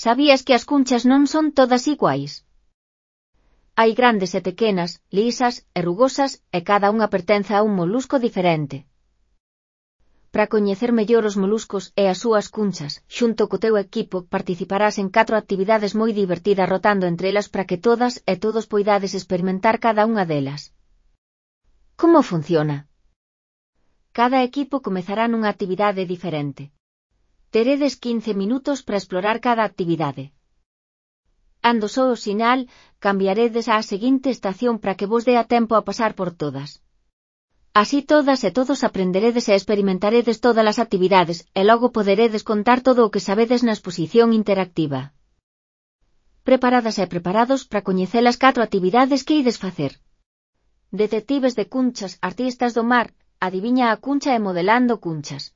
Sabías que as cunchas non son todas iguais? Hai grandes e pequenas, lisas e rugosas, e cada unha pertence a un molusco diferente. Para coñecer mellor os moluscos e as súas cunchas, xunto co teu equipo participarás en 4 actividades moi divertidas rotando entre elas para que todas e todos poidades experimentar cada unha delas. Como funciona? Cada equipo comezará nunha actividade diferente. Teredes 15 minutos para explorar cada actividade. Cando só o sinal, cambiaredes á seguinte estación para que vos dea tempo a pasar por todas. Así todas e todos aprenderedes e experimentaredes todas as actividades, e logo poderedes contar todo o que sabedes na exposición interactiva. Preparadas e preparados para coñecer as 4 actividades que ides facer. Detectives de cunchas, artistas do mar, adiviña a cuncha e modelando cunchas.